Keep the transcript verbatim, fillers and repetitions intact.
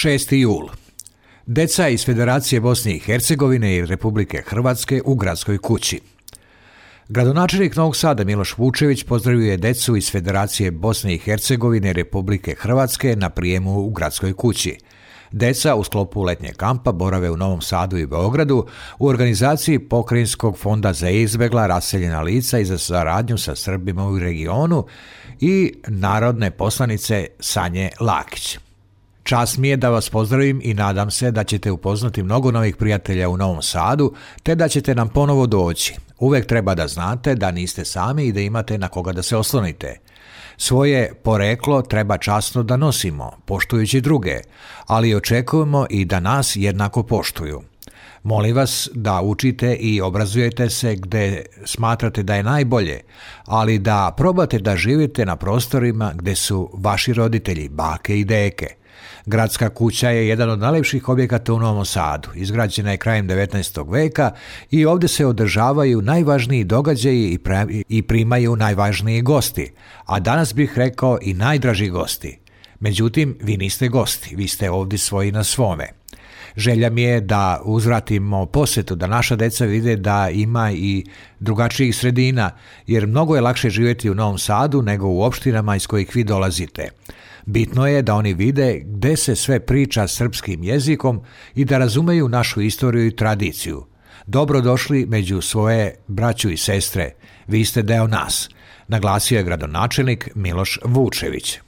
šesti jul. Deca iz Federacije Bosne i Hercegovine i Republike Hrvatske u gradskoj kući. Gradonačelnik Novog Sada Miloš Vučević pozdravio je decu iz Federacije Bosne i Hercegovine i Republike Hrvatske na prijemu u gradskoj kući. Deca u sklopu letnjeg kampa borave u Novom Sadu i Beogradu u organizaciji Pokrajinskog fonda za izbegla, raseljena lica i za saradnju sa Srbima u regionu i narodne poslanice Sanje Lakić. Čast mi je da vas pozdravim i nadam se da ćete upoznati mnogo novih prijatelja u Novom Sadu, te da ćete nam ponovo doći. Uvek treba da znate da niste sami i da imate na koga da se oslonite. Svoje poreklo treba časno da nosimo, poštujući druge, ali očekujemo i da nas jednako poštuju. Molim vas da učite i obrazujete se gde smatrate da je najbolje, ali da probate da živite na prostorima gde su vaši roditelji, bake i deke. Gradska kuća je jedan od najlepših objekata u Novom Sadu. Izgrađena je krajem devetnaestog veka i ovdje se održavaju najvažniji događaji i primaju najvažniji gosti, a danas bih rekao i najdraži gosti. Međutim, vi niste gosti, vi ste ovdje svoji na svome. Želja mi je da uzvratimo posjetu, da naša deca vide da ima i drugačijih sredina, jer mnogo je lakše živjeti u Novom Sadu nego u opštinama iz kojih vi dolazite. Bitno je da oni vide gde se sve priča srpskim jezikom i da razumeju našu istoriju i tradiciju. Dobrodošli među svoje braću i sestre, vi ste deo nas, naglasio je gradonačelnik Miloš Vučević.